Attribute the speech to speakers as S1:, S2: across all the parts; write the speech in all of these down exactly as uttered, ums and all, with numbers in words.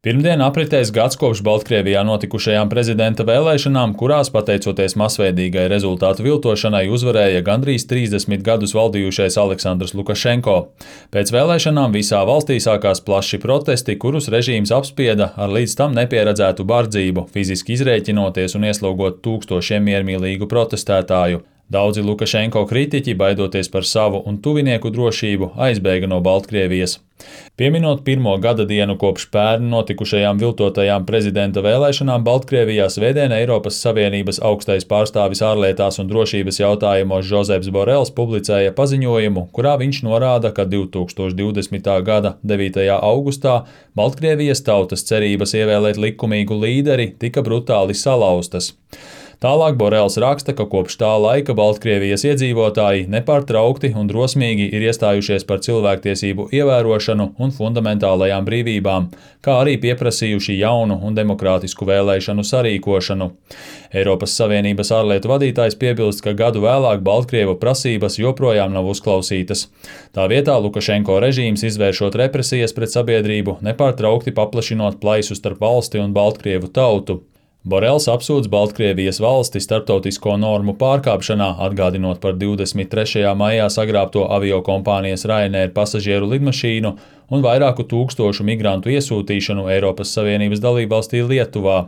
S1: Pirmdien apritēs gads kopš Baltkrievijā notikušajām prezidenta vēlēšanām, kurās, pateicoties masveidīgai rezultātu viltošanai, uzvarēja gandrīz trīsdesmit gadus valdījušais Aleksandrs Lukašenko. Pēc vēlēšanām visā valstī sākās plaši protesti, kurus režīms apspieda ar līdz tam nepieredzētu bardzību, fiziski izrēķinoties un ieslogot tūkstošiem miermīlīgu protestētāju. Daudzi Lukašenko kritiķi, baidoties par savu un tuvinieku drošību, aizbēga no Baltkrievijas. Pieminot pirmo gada dienu kopš pērn notikušajām viltotajām prezidenta vēlēšanām Baltkrievijā, svētdien Eiropas Savienības augstais pārstāvis ārlietās un drošības jautājumos Žozeps Borels publicēja paziņojumu, kurā viņš norāda, ka divi tūkstoši divdesmitā gada devītajā augustā Baltkrievijas tautas cerības ievēlēt likumīgu līderi tika brutāli salauztas. Tālāk Borels raksta, ka kopš tā laika Baltkrievijas iedzīvotāji nepārtraukti un drosmīgi ir iestājušies par cilvēktiesību ievērošanu un fundamentālajām brīvībām, kā arī pieprasījuši jaunu un demokrātisku vēlēšanu sarīkošanu. Eiropas Savienības ārlietu vadītājs piebilst, ka gadu vēlāk Baltkrievu prasības joprojām nav uzklausītas. Tā vietā Lukašenko režīms, izvēršot represijas pret sabiedrību, nepārtraukti paplašinot plaisu starp valsti un Baltkrievu tautu. Borels apsūdz Baltkrievijas valsti starptautisko normu pārkāpšanā, atgādinot par divdesmit trešajā maijā sagrābto aviokompānijas Ryanair pasažieru lidmašīnu un vairāku tūkstošu migrantu iesūtīšanu Eiropas Savienības dalībvalstī Lietuvā.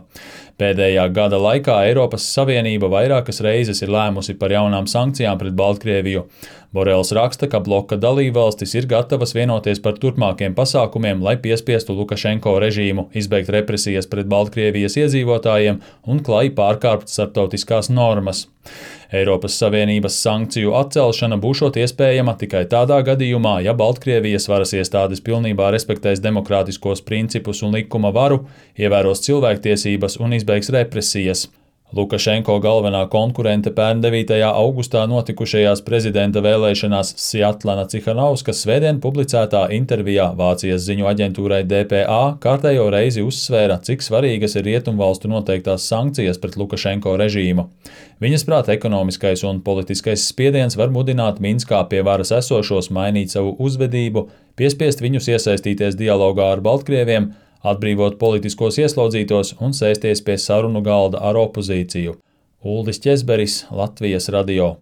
S1: Pēdējā gada laikā Eiropas Savienība vairākas reizes ir lēmusi par jaunām sankcijām pret Baltkrieviju. Borels raksta, ka bloka dalībvalstis ir gatavas vienoties par turpmākiem pasākumiem, lai piespiestu Lukašenko režīmu izbeigt represijas pret Baltkrievijas iedzīvotājiem un klaji pārkāpt starptautiskās normas. Eiropas Savienības sankciju atcelšana būšot iespējama tikai tādā gadījumā, ja Baltkrievijas varas iestādes pilnībā respektēs demokrātiskos principus un likuma varu, ievēros cilvēktiesības un izbeigs represijas. Lukašenko galvenā konkurente pērn devītajā augustā notikušajās prezidenta vēlēšanās Sjatlana Cihanovska svētdien publicētā intervijā Vācijas ziņu aģentūrai D P A kārtējo reizi uzsvēra, cik svarīgas ir rietumvalstu noteiktās sankcijas pret Lukašenko režīmu. Viņas prāt, ekonomiskais un politiskais spiediens var mudināt Minskā pie varas esošos mainīt savu uzvedību, piespiest viņus iesaistīties dialogā ar Baltkrieviem, atbrīvot politiskos ieslodzītos un sēsties pie sarunu galda ar opozīciju. Uldis Ķezberis, Latvijas radio.